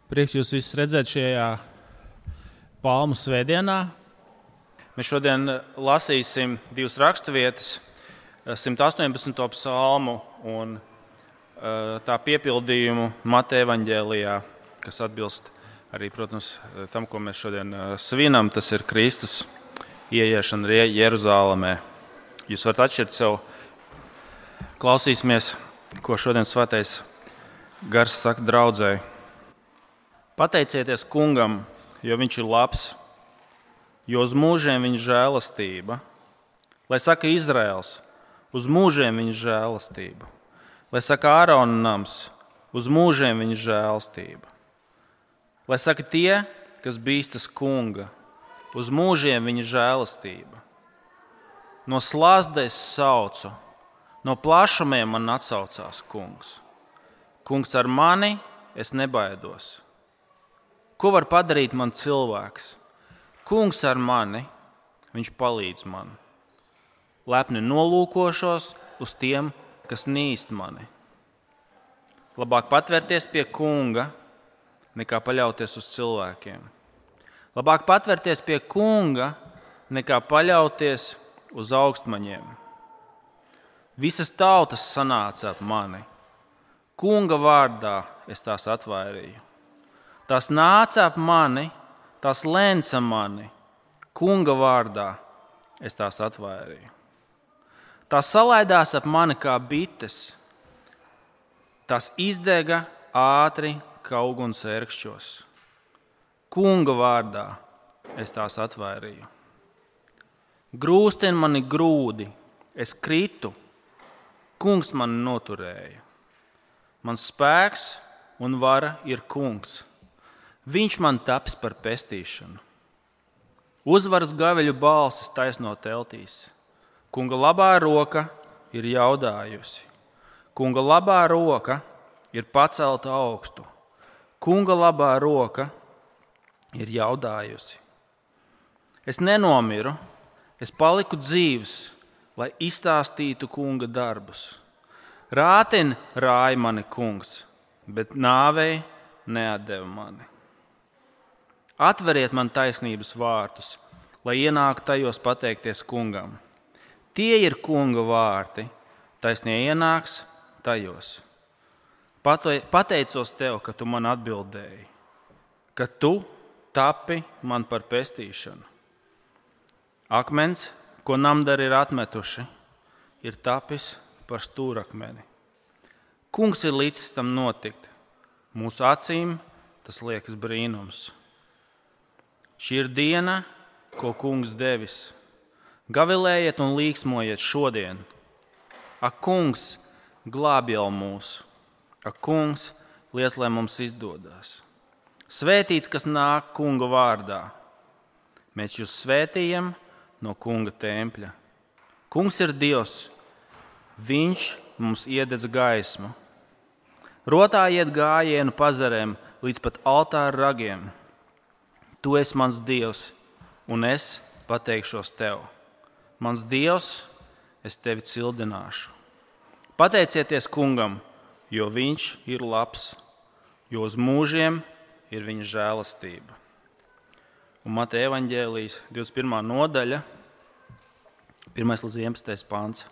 Prieks jūs visus redzēt šajā Palmu svētdienā. Mēs šodien lasīsim divas raksturvietas, 118. psalmu un tā piepildījumu Mateja evaņģēlijā, kas atbilst arī, protams, tam, ko mēs šodien svinam. Tas ir Kristus ieiešana Jeruzālēmē. Jūs varat atšķirt sev, klausīsimies, ko šodien svētais gars saka draudzēji. Pateicieties Kungam, jo viņš ir labs, jo uz mūžiem viņa žēlastība. Lai saka Izraels, uz mūžiem viņa žēlastība. Lai saka Ārona nams, uz mūžiem viņa žēlastība. Lai saka tie, kas bīstas Kunga, uz mūžiem viņa žēlastība. No slazdes saucu, no plašumiem man atsaucās Kungs. Kungs ar mani, es nebaidos. Ko var padarīt man cilvēks? Kungs ar mani, viņš palīdz man. Lepni nolūkošos uz tiem, kas nīst mani. Labāk patvērties pie Kunga, nekā paļauties uz cilvēkiem. Labāk patvērties pie Kunga, nekā paļauties uz augstmaņiem. Visas tautas sanāca ap mani. Kunga vārdā es tās atvairīju. Tās nāca ap mani, tās lēca mani. Kunga vārdā es tās atvairīju. Tās salaidās ap mani kā bites. Tās izdega ātri kā uguns ērkšķos. Kunga vārdā es tās atvairīju. Grūstin mani grūdi, es kritu. Kungs mani noturēja. Mans spēks un vara ir Kungs. Viņš man taps par pestīšanu. Uzvaras gaveļu balsis taisno teltīs. Kunga labā roka ir jaudājusi. Kunga labā roka ir pacelta augstu. Kunga labā roka ir jaudājusi. Es nenomiru, es paliku dzīvs, lai izstāstītu Kunga darbus. Rātin rāja mani Kungs, bet nāvei neatdeva mani. Atveriet man taisnības vārtus, lai ienāktu tajos pateikties Kungam. Tie ir Kunga vārti, taisnie ienāks tajos. Pateicos tev, ka tu man atbildēji, ka tu tapi man par pestīšanu. Akmens, ko namdari ir atmetuši, ir tapis par stūrakmeni. Kungs ir līdzis tam notikt. Mūsu acīm tas liekas brīnums. Šī ir diena, ko Kungs devis. Gavilējiet un līksmojiet šodien. Ak, Kungs, glābj jau mūs. Ak, Kungs, liec, lai mums izdodas. Svētīts, kas nāk Kunga vārdā. Mēs jūs svētījam no Kunga tempļa. Kungs ir Dievs. Viņš mums iededz gaismu. Rotājiet gājienu pazarēm līdz pat altāra ragiem. Tu esi mans Dievs, un es pateikšos tev. Mans Dievs, es tevi cildināšu. Pateicieties Kungam, jo viņš ir labs, jo uz mūžiem ir viņa žēlastība. Un Mateja evaņģēlijas 21. nodaļa, 1. līdz 11. pants.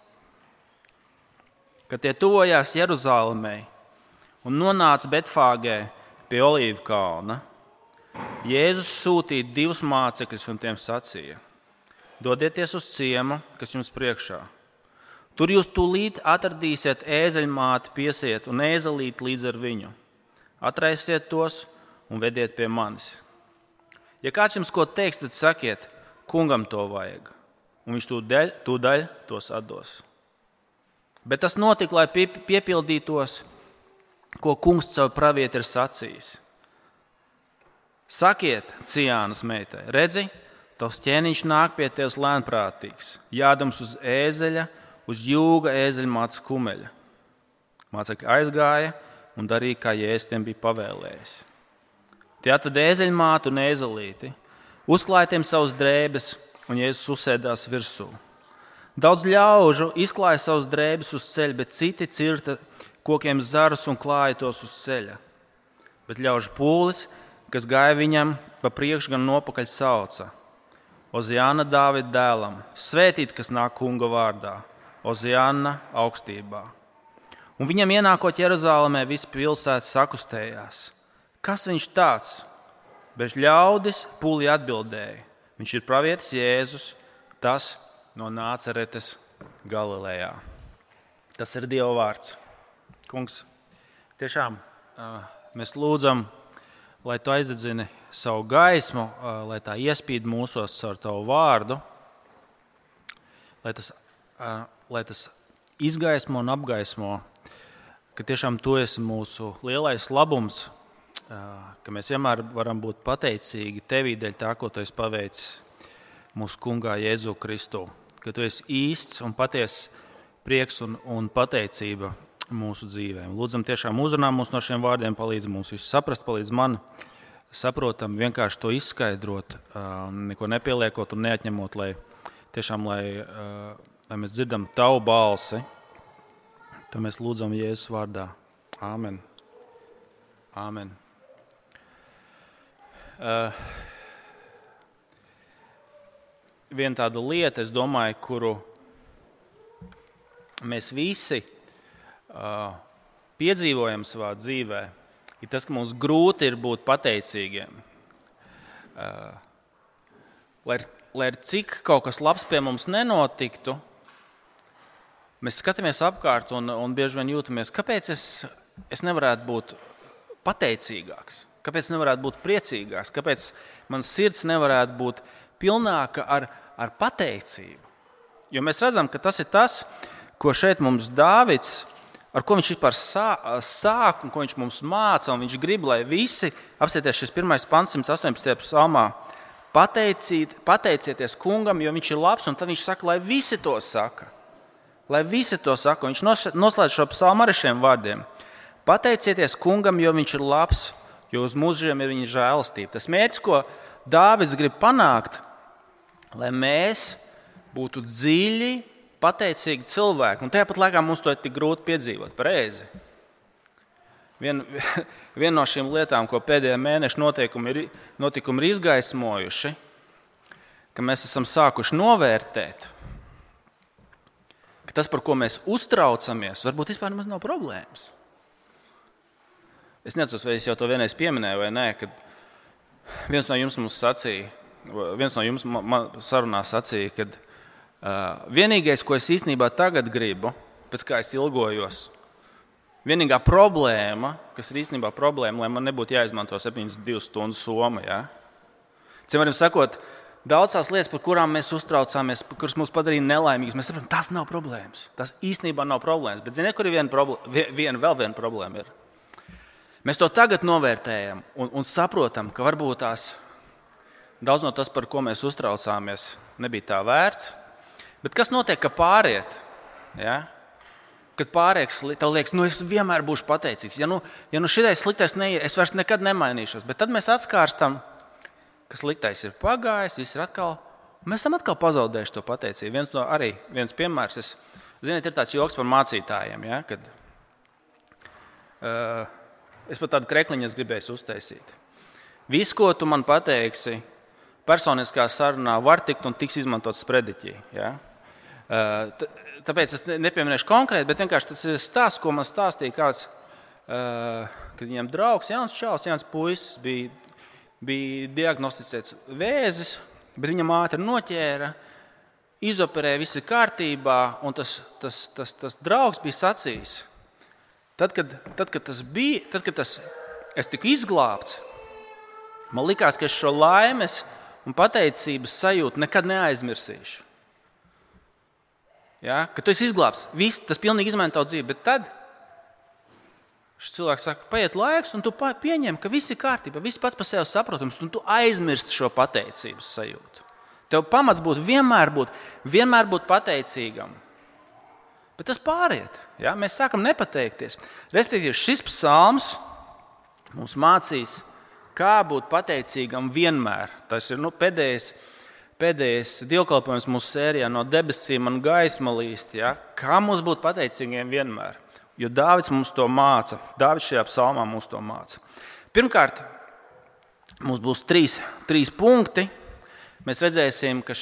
Kad tie tuvojās Jeruzālēmei un nonāca Betfāgē pie Olīvu kalna, Jēzus sūtīja 2 mācekļus un tiem sacīja: Dodieties uz ciemu, kas jums priekšā. Tur jūs tūlīt atradīsiet ēzeļmāti, piesiet un ēzelīti līdz ar viņu. Atraisiet tos un vediet pie manis. Ja kāds jums ko teiks, tad sakiet, Kungam to vajag, un viņš tūdaļ tos atdos. Bet tas notika, lai piepildītos, ko Kungs caur pravieti ir sacījis. Sakiet, Ciānas meitai, redzi, tavs ķēniņš nāk pie tevis lēnprātīgs, jādams uz ēzeļa, uz jūga ēzeļmātes kumeļa. Mācekļi aizgāja un darīja, kā Jēzus tiem bija pavēlējis. Tie atveda ēzeļmātu un ēzelīti, uzklāja tiem savas drēbes, un Jēzus uzsēdās virsū. Daudz ļaužu izklāja savas drēbes uz ceļa, bet citi cirta kokiem zarus un klāja tos uz ceļa. bet ļaužu pūlis, kas gāja viņam pa priekšu gan nopakaļ sauca. Oziāna Dāvida dēlam, svētīts, kas nāk kunga vārdā, Oziāna augstībā. Un viņam ienākot Jeruzālēmē, visi pilsētas sakustējās. Kas viņš tāds? Bet ļaudis pūlī atbildēja. Viņš ir pravietis Jēzus, tas no Nāceretes Galilejā. Tas ir Dieva vārds. Kungs, tiešām mēs lūdzam, lai tu aizdedzini savu gaismu, lai tā iespīd mūsos ar tavu vārdu, lai tas izgaismo un apgaismo, ka tiešām tu esi mūsu lielais labums, ka mēs vienmēr varam būt pateicīgi tevī dēļ tā, ko tu esi paveicis mūsu kungā Jēzu Kristu, ka tu esi īsts un patiess prieks un pateicība mūsu dzīvēm. Lūdzam, tiešām uzrunā mūs no šiem vārdiem, palīdz mums visu saprast, palīdz man saprotam, vienkārši to izskaidrot, neko nepieliekot un neatņemot, lai mēs dzirdam tavu balsi. To mēs lūdzam Jēzus vārdā. Āmen. Āmen. Viena tāda lieta, es domāju, kuru mēs visi piedzīvojam savā dzīvē, ir tas, ka mums grūti ir būt pateicīgiem. Lai cik kaut kas labs pie mums nenotiktu, mēs skatāmies apkārt un bieži vien jūtamies, kāpēc es nevarētu būt pateicīgāks, kāpēc nevarētu būt priecīgāks, kāpēc mans sirds nevarētu būt pilnāka ar pateicību. Jo mēs redzam, ka tas ir tas, ko šeit mums Dāvids, ar ko viņš vispār sāk un ko viņš mums māca, un viņš grib, lai visi, apsieties šis 1. pants 118. psalmā, pateicieties kungam, jo viņš ir labs, un tad viņš saka, lai visi to saka. Lai visi to saka. Viņš noslēdz šo psalmu ar šiem vārdiem. Pateicieties kungam, jo viņš ir labs, jo uz mūžiem ir viņa žēlastība. Tas mērķis, ko Dāvids grib panākt, lai mēs būtu dziļi, pateicīgi cilvēki. Un tāpat laikā mums to ir tik grūti piedzīvot. Pareizi. Viena no šīm lietām, ko pēdējā mēneša notikumi ir izgaismojuši, ka mēs esam sākuši novērtēt, ka tas, par ko mēs uztraucamies, varbūt vispār nemaz nav problēmas. Es neatceros, vai es jau to vienreiz pieminēju vai nē, kad viens no jums man sarunā sacīja, kad vienīgais, ko es īstenībā tagad gribu, pēc kā es ilgojos, vienīgā problēma, kas ir īstenībā problēma, lai man nebūtu jāizmanto 72 stundu soma. Ja? Citiem sakot, daudz tās lietas, par kurām mēs uztraucāmies, kuras mūs padarīja nelaimīgus, mēs saprotam, tas nav problēmas. Tas īstenībā nav problēmas. Bet ziniet, kur ir vēl viena problēma? Mēs to tagad novērtējam un saprotam, ka varbūt daudz no tas, par ko mēs uztraucāmies, nebija tā vērts. Bet kas notiek, ka pāriet? Ja? Kad pārieks, tev liekas, es vienmēr būšu pateicīgs. Ja šitais sliktais neiet, es vairs nekad nemainīšos. Bet tad mēs atskārstam, ka sliktais ir pagājis, viss ir atkal. Mēs esam atkal pazaudējuši to pateicību. Viens piemērs, ziniet, ir tāds joks par mācītājiem. Ja? Kad, es pat tādu krekliņu gribēju uztaisīt. Viss, ko tu man pateiksi, personiskā sarunā var tikt un tiks izmantots sprediķī. Ja? Tāpēc es nepieminēšu konkrēti, bet vienkārši tas ir stāsts, ko man stāstīja kāds, kad viņam draugs, jauns čalis, jauns puisis, bija diagnosticēts vēzis, bet viņa ātri noķēra, izoperēja, viss ir kārtībā, un tas draugs bija sacījis. Tad, kad es tiku izglābts, man likās, ka es šo laimes un pateicības sajūtu nekad neaizmirsīšu. Ja? Kad tu esi izglābts, tas pilnīgi izmaina tavu dzīvi, bet tad šis cilvēks saka, paiet laiks, un tu pieņem, ka viss ir kārtībā, viss pats par sevi saprotams, un tu aizmirsti šo pateicības sajūtu. Tev pamats būtu vienmēr būt pateicīgam. Bet tas pāriet. Ja? Mēs sākam nepateikties. Respektīvi, šis psalms mums mācīs, kā būt pateicīgam vienmēr. Tas ir pēdējais dievkalpojums mūsu sērijā no debesīm un gaisma līst. Ja? Kā mums būt pateicīgiem vienmēr? Jo Dāvids mums to māca. Dāvids šajā psalmā mums to māca. Pirmkārt, mums būs trīs punkti. Mēs redzēsim, ka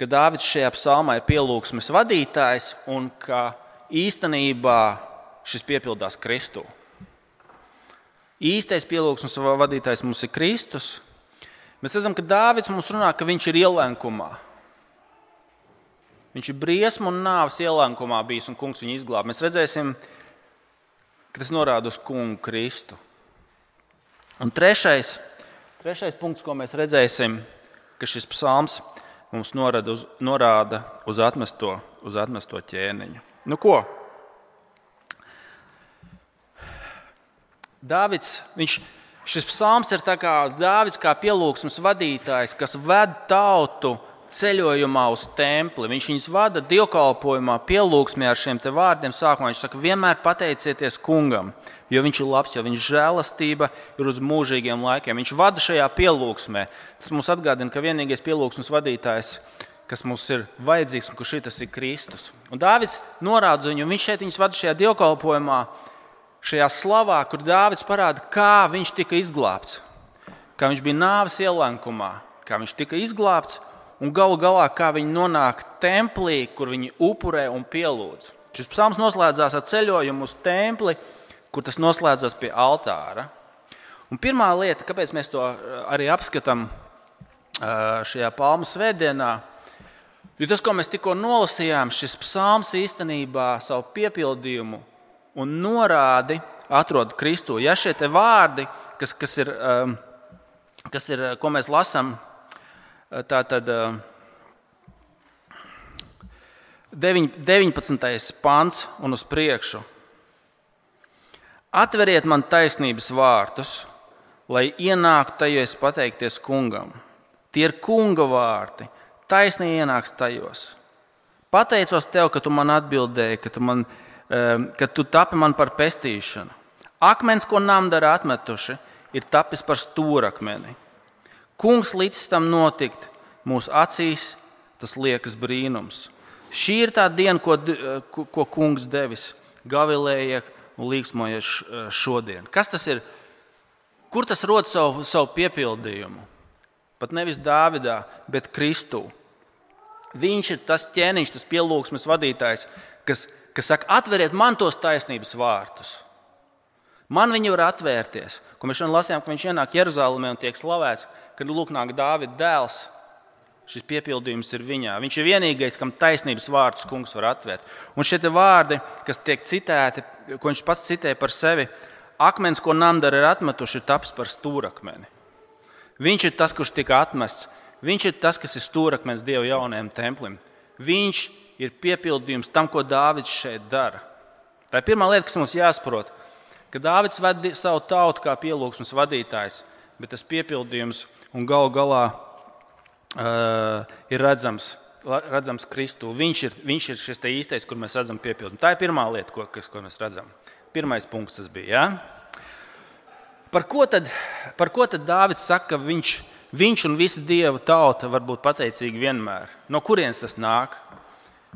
Dāvids šajā psalmā ir pielūgsmes vadītājs un ka īstenībā šis piepildās Kristū. Īstais pielūgsmes vadītājs mums ir Kristus. Mēs redzam, ka Dāvids mums runā, ka viņš ir ielenkumā. Viņš ir briesmu un nāves ielenkumā bijis un kungs viņu izglāb. Mēs redzēsim, ka tas norāda uz kungu Kristu. Un trešais punkts, ko mēs redzēsim, ka šis psalms mums norāda uz atmesto ķēniņu. Nu ko? Šis psalms ir tā kā Dāvids kā pielūgsmes vadītājs, kas ved tautu ceļojumā uz templi. Viņš viņus vada dievkalpojumā, pielūgsmē ar šiem te vārdiem sākumā. Viņš saka, vienmēr pateicieties kungam, jo viņš ir labs, jo viņš žēlastība ir uz mūžīgiem laikiem. Viņš vada šajā pielūgsmē. Tas mums atgādina, ka vienīgais pielūgsmes vadītājs, kas mums ir vajadzīgs un kurš tas ir Kristus. Un Dāvids norāda viņu, viņš šeit viņus vada šajā dievkalpojumā, šajā slavā, kur Dāvids parāda, kā viņš tika izglābts, kā viņš bija nāves ielenkumā, kā viņš tika izglābts un galu galā, kā viņi nonāk templī, kur viņi upurē un pielūdz. Šis psalms noslēdzās ar ceļojumu uz templi, kur tas noslēdzās pie altāra. Un pirmā lieta, kāpēc mēs to arī apskatām šajā palmu svētdienā, jo tas, ko mēs tikko nolasījām, šis psalms īstenībā savu piepildījumu un norādi atrod Kristū. Ja šie te vārdi, kas ir, ko mēs lasām, tātad 19. pants un uz priekšu. Atveriet man taisnības vārtus, lai ienāktu tajos pateikties kungam. Tie ir kunga vārti, taisni ienāks tajos. Pateicos tev, ka tu man atbildēji, ka tu tapi man par pestīšanu. Akmens, ko namdari atmetuši, ir tapis par stūrakmeni. Kungs līdz tam notikt, mūsu acīs tas liekas brīnums. Šī ir tā diena, ko kungs devis, gavilēja un līksmojies šodien. Kas tas ir? Kur tas rod savu piepildījumu? Pat nevis Dāvidā, bet Kristū. Viņš ir tas ķēniņš, tas pielūgsmes vadītājs, kas saka, atveriet man tos taisnības vārtus. Man viņi var atvērties. Ko mēs šodien lasījām, ka viņš ienāk Jeruzalemē un tiek slavēts, kad lūk nāk Dāvida dēls. Šis piepildījums ir viņā. Viņš ir vienīgais, kam taisnības vārdus kungs var atvērt. Un šie vārdi, kas tiek citēti, ko viņš pats citē par sevi, akmens, ko namdari ir atmetuši, ir tapis par stūrakmeni. Viņš ir tas, kurš tika atmests. Viņš ir tas, kas ir stūrakmens Dieva jaunajam templim. Viņš ir piepildījums tam, ko Dāvids šeit dara. Tā ir pirmā lieta, kas mums jāsaprot, ka Dāvids ved savu tautu kā pielūgsmes vadītājs, bet tas piepildījums un galu galā ir redzams Kristū. Viņš ir šis īstais, kur mēs redzam piepildījumu. Tā ir pirmā lieta, ko mēs redzam. Pirmais punkts tas bija. Ja? Par ko tad Dāvids saka, ka viņš un visa Dieva tauta var būt pateicīgi vienmēr? No kurienes tas nāk?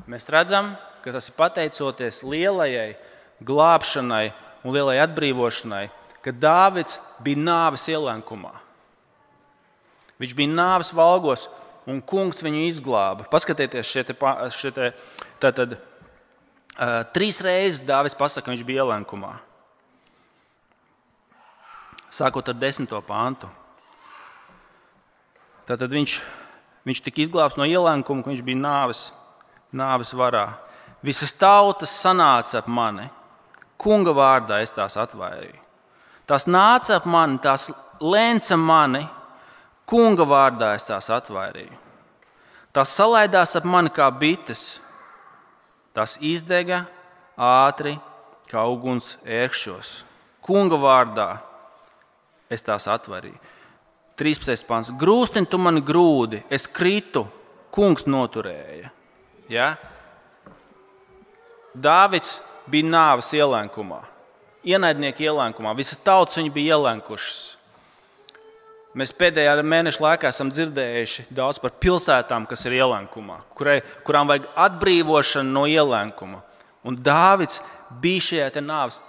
Mēs redzam, ka tas ir pateicoties lielajai glābšanai un lielai atbrīvošanai, ka Dāvids bija nāves ielenkumā. Viņš bija nāves valgos, un kungs viņu izglāba. Paskatieties, tātad 3 reizes Dāvids pasaka, ka viņš bija ielenkumā. Sākot ar 10. pantu. Tātad viņš tika izglābts no ielenkuma, ka viņš bija nāves varā. Visas tautas sanāca ap mani. Kunga vārdā es tās atvairīju. Tās nāca ap mani, tās lēca mani. Kunga vārdā es tās atvairīju. Tās salaidās ap mani kā bites. Tās izdega ātri kā uguns ērkšķos. Kunga vārdā es tās atvairīju. 13. pants. Grūstin tu mani grūdi, es kritu, kungs noturēja. Ja? Dāvids bija nāves ielenkumā, ienaidnieku ielenkumā. Visas tautas viņu bija ielenkušas. Mēs pēdējā mēneša laikā esam dzirdējuši daudz par pilsētām, kas ir ielenkumā, kurām vajag atbrīvošanu no ielenkuma. Un Dāvids bija šajā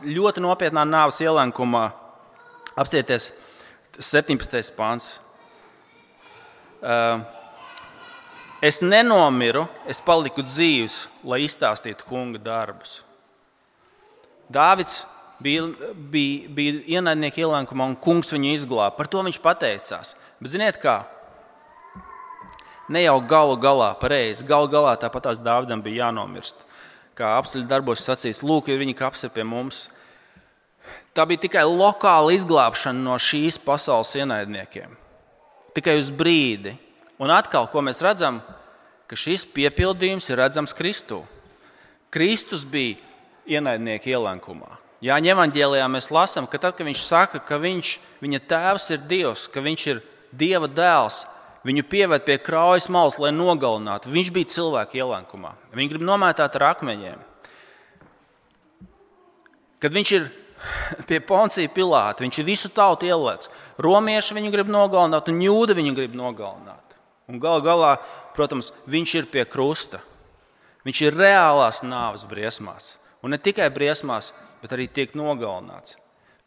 ļoti nopietnā nāves ielenkumā Apstieties 17. pāns. Es nenomiru, es paliku dzīvs, lai izstāstītu kunga darbus. Dāvids bija ienaidnieku ielenkumā un kungs viņu izglāba. Par to viņš pateicās. Bet ziniet kā? Ne jau galu galā pareizi. Galu galā tāpat tās Dāvidam bija jānomirst. Kā apstuļu darbos sacīts, lūk, ir viņa kaps ir pie mums. Tā bija tikai lokāla izglābšana no šīs pasaules ienaidniekiem. Tikai uz brīdi. Un atkal, ko mēs redzam, ka šis piepildījums ir redzams Kristū. Kristus bija ienaidnieku ielenkumā. Jāņa evaņģēlijā mēs lasām, ka tad, kad viņš saka, ka viņa tēvs ir Dievs, ka viņš ir Dieva dēls, viņu pieved pie kraujas malas, lai nogalinātu. Viņš bija cilvēku ielenkumā. Viņi grib nomētāt ar akmeņiem. Kad viņš ir pie Poncija Pilāta, viņš ir visu tautu ielieks. Romieši viņu grib nogalināt un jūdi viņu grib nogalināt. Un galu galā, protams, viņš ir pie krusta. Viņš ir reālās nāves briesmās. Un ne tikai briesmās, bet arī tiek nogalināts.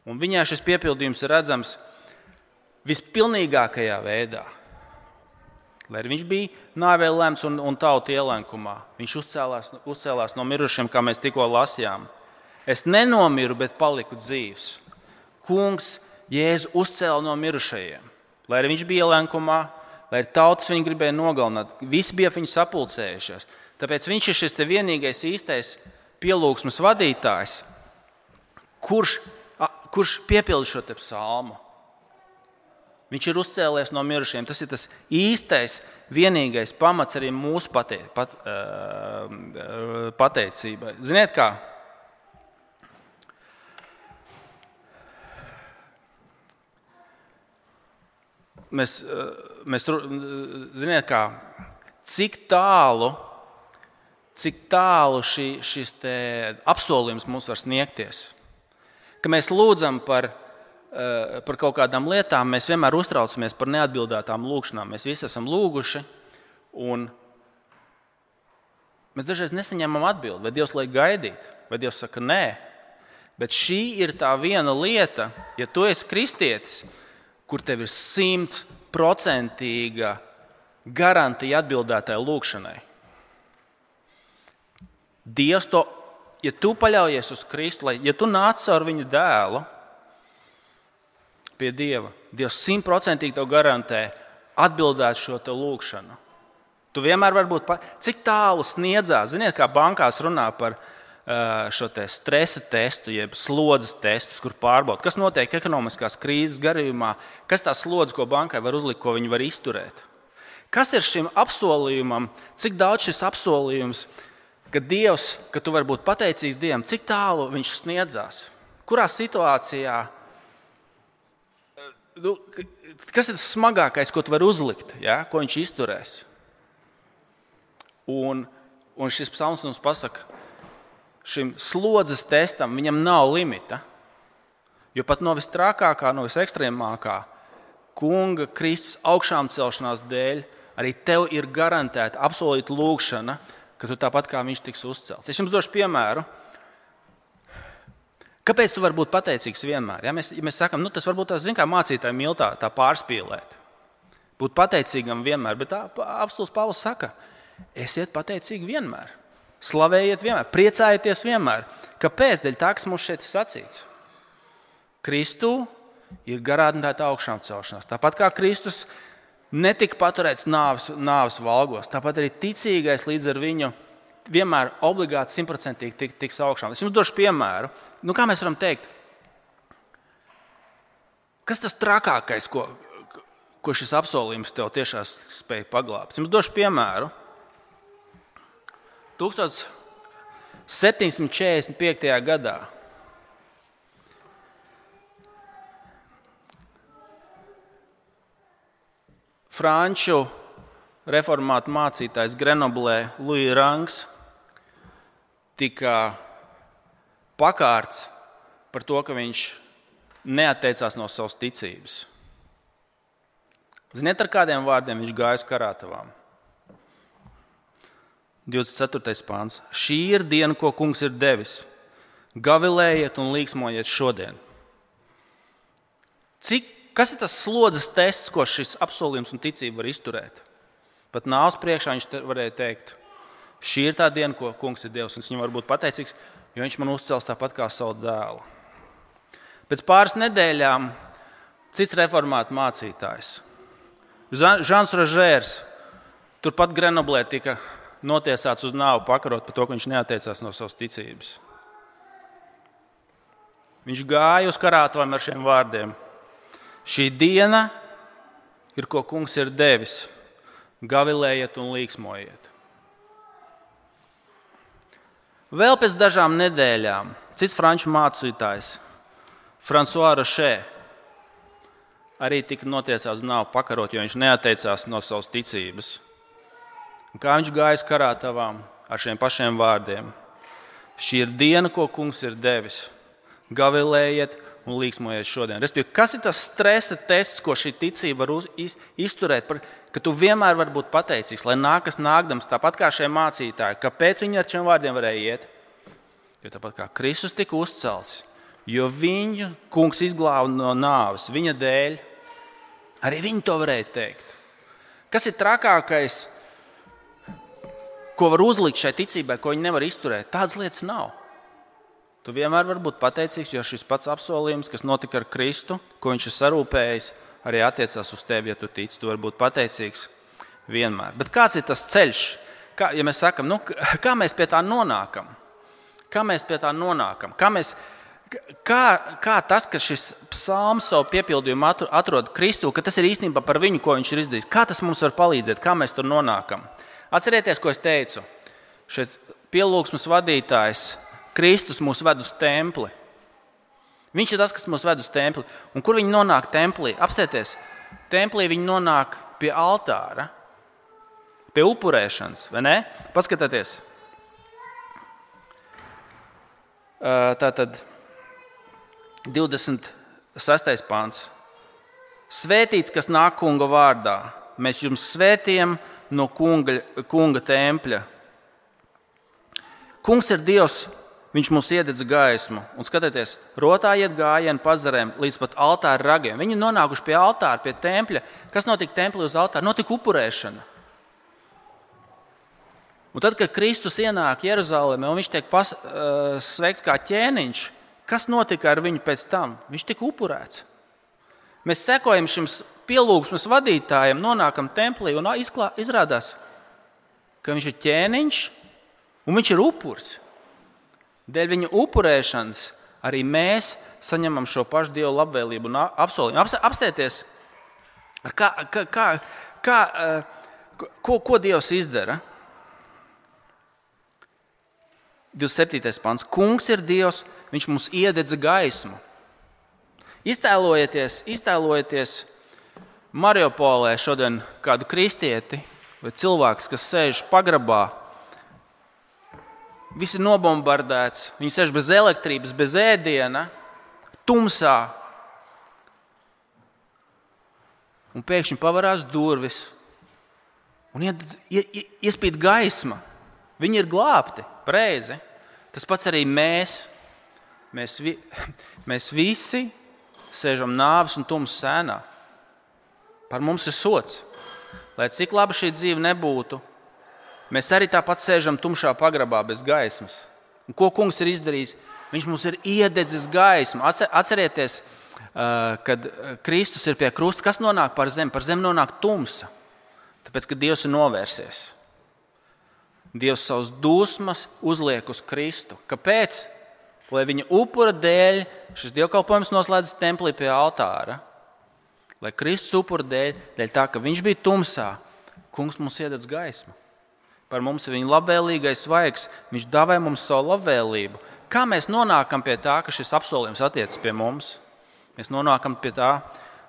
Un viņā šis piepildījums ir redzams vispilnīgākajā veidā. Lai arī viņš bija nāvē lemts un tautu ielenkumā, viņš uzcēlās no mirušiem, kā mēs tikko lasījām. Es nenomiru, bet paliku dzīvs. Kungs Jēzu uzcēla no mirušajiem. Lai arī viņš bija ielenkumā, lai arī tautas viņu gribēja nogalināt, visi bija viņu sapulcējušies. Tāpēc viņš ir šis te vienīgais īstais pielūgsmes vadītājs, kurš piepilda šo te psalmu. Viņš ir uzcēlies no mirušiem. Tas ir tas īstais, vienīgais pamats arī mūsu pateicībai. Ziniet kā? Ziniet kā? Cik tālu šis te apsolījums mums var sniegties. Ka mēs lūdzam par kaut kādām lietām, mēs vienmēr uztraucamies par neatbildētām lūgšanām. Mēs visi esam lūguši, un mēs dažreiz nesaņemam atbildi, vai Dievs liek gaidīt, vai Dievs saka nē. Bet šī ir tā viena lieta, ja tu esi kristietis, kur tev ir 100% garantija atbildētai lūgšanai. Dievs to, ja tu paļaujies uz Kristu, ja tu nāc ar viņu dēlu pie Dieva, Dievs 100% tev garantē atbildēt šo te lūgšanu. Tu vienmēr vari būt, cik tālu sniedzās. Ziniet, kā bankās runā par šo te stresa testu, jeb slodzes testus, kur pārbauda, kas notiek ekonomiskās krīzes gadījumā, kas tā slodze, ko bankai var uzlikt, ko viņi var izturēt. Kas ir šim apsolījumam, cik daudz šis apsolījums, ka Dievs, ka tu vari būt pateicīgs Dievam, cik tālu viņš sniedzās? Kurā situācijā, kas ir tas smagākais, ko tu vari uzlikt, ja? Ko viņš izturēs? Un šis psalms mums pasaka, šim slodzes testam viņam nav limita, jo pat no vistrākākā, no visekstrēmākā kunga Kristus augšām celšanās dēļ arī tev ir garantēta apsolīta lūgšana, ka tu tāpat kā viņš tiks uzcelts. Es jums došu piemēru. Kāpēc tu vari būt pateicīgs vienmēr? Ja mēs sakam, tas varbūt tās, kā mācītāji mīl tā pārspīlēt. Būt pateicīgam vienmēr, bet apostuls Pāvils saka, esiet pateicīgi vienmēr. Slavējiet vienmēr, priecājieties vienmēr. Kāpēc? Dēļ tā, kas mums šeit ir sacīts. Kristū ir garantēta augšām celšanās. Tāpat kā Kristus netika paturēts nāves valgos, tāpat arī ticīgais līdz ar viņu vienmēr obligāti 100% tiks augšām. Es jums došu piemēru. Kā mēs varam teikt? Kas tas trakākais, ko šis apsolījums tev tiešām spēja paglābt? Es jums došu piemēru. 1745. gadā franču reformātu mācītājs Grenoblē Louis Rangs tika pakārts par to, ka viņš neatteicās no savas ticības. Ziniet, ar kādiem vārdiem viņš gāja uz karātavām? 24. pāns. Šī ir diena, ko kungs ir devis. Gavilējiet un līksmojiet šodien. Kas ir tas slodzes tests, ko šis apsolījums un ticība var izturēt? Pat nāves priekšā viņš varēja teikt, šī ir tā diena, ko kungs ir Dievs, un es viņam varu būt pateicīgs, jo viņš man uzcels tāpat kā savu dēlu. Pēc pāris nedēļām cits reformātu mācītājs, Žans Rožērs, turpat Grenoblē tika notiesāts uz nāvi pakarot par to, ka viņš neatteicās no savas ticības. Viņš gāja uz karātavām ar šiem vārdiem. Šī diena ir, ko kungs ir devis. Gavilējiet un līksmojiet. Vēl pēc dažām nedēļām cits franču mācītājs, François Roché, arī tika notiesāts uz nāvi pakarot, jo viņš neatteicās no savas ticības. Un kā viņš gāja uz karātavām ar šiem pašiem vārdiem. Šī ir diena, ko kungs ir devis. Gavilējiet un līksmojiet šodien. Respektīvi, kas ir tas stresa tests, ko šī ticība var izturēt, ka tu vienmēr vari būt pateicīgs, lai nākas nākdams, tāpat kā šie mācītāji. Kāpēc viņi ar šiem vārdiem varēja iet? Jo tāpat kā Kristus tika uzcelts, jo viņu kungs izglāba no nāves, viņa dēļ, arī viņi to varēja teikt. Kas ir trakākais, ko var uzlikt šai ticībai, ko viņi nevar izturēt? Tādas lietas nav. Tu vienmēr vari būt pateicīgs, jo šis pats apsolījums, kas notika ar Kristu, ko viņš ir sarūpējis, arī attiecās uz tevi, ja tu tici. Tu vari būt pateicīgs vienmēr. Bet kāds ir tas ceļš? Ja mēs sakam, kā mēs pie tā nonākam? Kā tas, ka šis psalms savu piepildījumu atrod Kristu, ka tas ir īstenībā par viņu, ko viņš ir izdarījis? Kā tas mums var palīdzēt? Kā mēs tur nonākam? Atcerieties, ko es teicu. Šis pielūgsmes vadītājs Kristus mūs ved uz templi. Viņš ir tas, kas mūs ved uz templi. Un kur viņi nonāk templī? Apstieties, templī viņi nonāk pie altāra, pie upurēšanas, vai ne? Paskatieties. Tātad 26. pāns. Svētīts, kas nāk kunga vārdā. Mēs jums svētījam no kunga tempļa. Kungs ir Dievs. Viņš mums iededz gaismu. Un skatieties, rotā iet gājienu pazarēm līdz pat altāra ragiem. Viņi nonākuši pie altāra, pie tempļa. Kas notika templī uz altāra? Notika upurēšana. Un tad, kad Kristus ienāk Jeruzalemē un viņš tiek sveikts kā ķēniņš, kas notika ar viņu pēc tam? Viņš tika upurēts. Mēs sekojam šim pielūgsmes vadītājiem, nonākam templī un izrādās, ka viņš ir ķēniņš un viņš ir upuris. Dēļ viņa upurēšanas arī mēs saņemam šo pašu Dieva labvēlību un apsolījumu. Apstieties, ko Dievs izdara? 27. pants. Kungs ir Dievs, viņš mums iededza gaismu. Iztēlojieties Mariupolē šodien kādu kristieti vai cilvēks, kas sēž pagrabā. Viss ir nobombardēts, viņi sēž bez elektrības, bez ēdiena, tumsā. Un pēkšņi pavarās durvis un iespīd gaisma. Viņi ir glābti, pareizi. Tas pats arī mēs. Mēs visi sēžam nāves un tumsas sēnā. Par mums ir sods. Lai cik laba šī dzīve nebūtu, mēs arī tāpat sēžam tumšā pagrabā bez gaismas. Un ko kungs ir izdarījis? Viņš mums ir iededzis gaismu. Atcerieties, kad Kristus ir pie krusta, kas nonāk par zemi? Par zemi nonāk tumsa. Tāpēc, ka Dievs ir novērsies. Dievs savus dusmas uzliek uz Kristu. Kāpēc? Lai viņa upura dēļ šis dievkalpojums noslēdzas templī pie altāra. Lai Kristus upura dēļ tā, ka viņš bija tumsā, kungs mums iededz gaismu. Par mums ir viņa labvēlīgais vaigs. Viņš dāvā mums savu labvēlību. Kā mēs nonākam pie tā, ka šis apsolījums attiecas pie mums? Mēs nonākam pie tā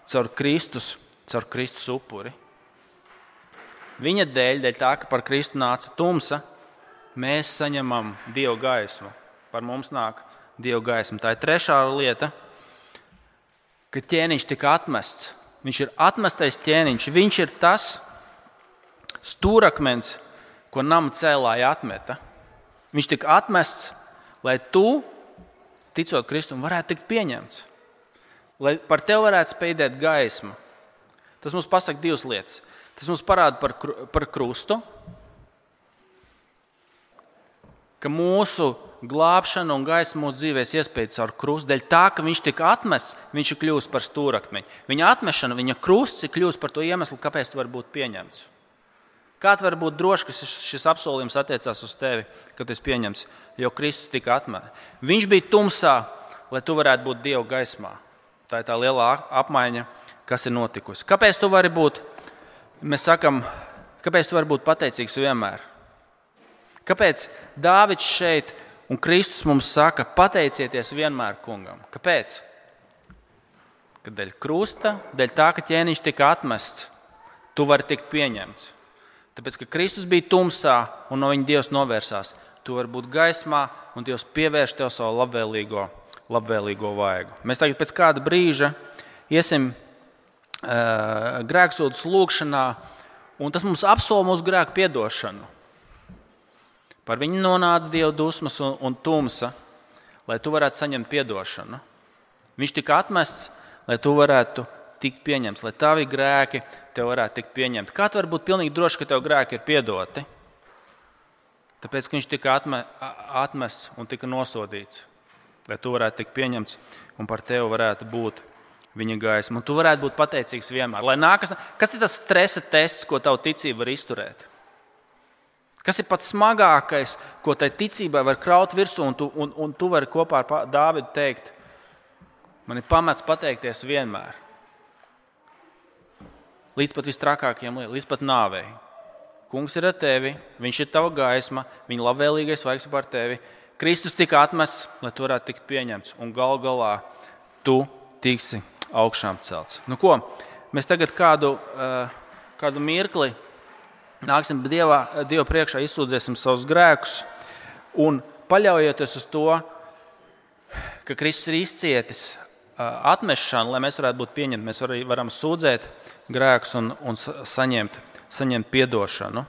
caur Kristus upuri. Viņa dēļ tā, ka par Kristu nāca tumsa, mēs saņemam Dieva gaismu. Par mums nāk Dieva gaisma. Tā ir trešā lieta, ka ķēniņš tika atmests. Viņš ir atmestais ķēniņš. Viņš ir tas stūrakmens, ko nama cēlāji atmeta. Viņš tika atmests, lai tu, ticot Kristum, varētu tikt pieņemts. lai par tevi varētu spīdēt gaisma. Tas mums pasaka divas lietas. Tas mums parāda par krustu, ka mūsu glābšana un gaisma mūsu dzīvēs iespējas caur krustu. Dēļ tā, ka viņš tika atmests, viņš ir kļuvis par stūrakmeņu. Viņa atmešana, viņa krusts ir kļuvis par to iemeslu, kāpēc tu vari būt pieņemts. Kā tu vari būt drošs, ka šis apsolījums attiecās uz tevi, kad tu esi pieņemts, jo Kristus tika atmests. Viņš bija tumsā, lai tu varētu būt Dieva gaismā. Tā ir tā lielā apmaiņa, kas ir notikusi. Kāpēc tu vari būt, mēs sakam, kāpēc tu vari būt pateicīgs vienmēr? Kāpēc Dāvids šeit un Kristus mums saka, pateicieties vienmēr kungam? Kāpēc? Kad dēļ krusta, dēļ tā, ka ķēniņš tika atmests, tu vari tikt pieņemts. Tāpēc, ka Kristus bija tumsā un no viņa Dievs novērsās, tu vari būt gaismā un Dievs pievērš tev savu labvēlīgo vaigu. Mēs tagad pēc kāda brīža iesim grēksūdzes lūgšanā, un tas mums apsola mūsu grēku piedošanu. Par viņu nonāca Dieva dusmas un tumsa, lai tu varētu saņemt piedošanu. Viņš tika atmests, lai tu varētu tikt pieņemts, lai tavi grēki tev varētu tikt pieņemti. Kā tu vari būt pilnīgi droši, ka tev grēki ir piedoti? Tāpēc, ka viņš tika atmests un tika nosodīts, lai tu varētu tikt pieņemts un par tevi varētu būt viņa gaisma. Un tu varētu būt pateicīgs vienmēr. Kas ir tas stresa tests, ko tavu ticība var izturēt? Kas ir pats smagākais, ko tai ticībai var kraut virsū, un tu vari kopā ar Dāvidu teikt, man ir pamats pateikties vienmēr. Līdz pat vistrakākajiem lietām, līdz pat nāvei. Kungs ir ar tevi, viņš ir tava gaisma, viņa labvēlīgais vaigs par tevi. Kristus tika atmests, lai tu varētu tikt pieņemts, un gal galā tu tiksi augšām celts. Nu ko, mēs tagad kādu mirkli nāksim Dieva priekšā, izsūdzēsim savus grēkus un paļaujoties uz to, ka Kristus ir izcietis atmešanu, lai mēs varētu būt pieņemti, mēs varam sūdzēt grēkus un saņemt piedošanu.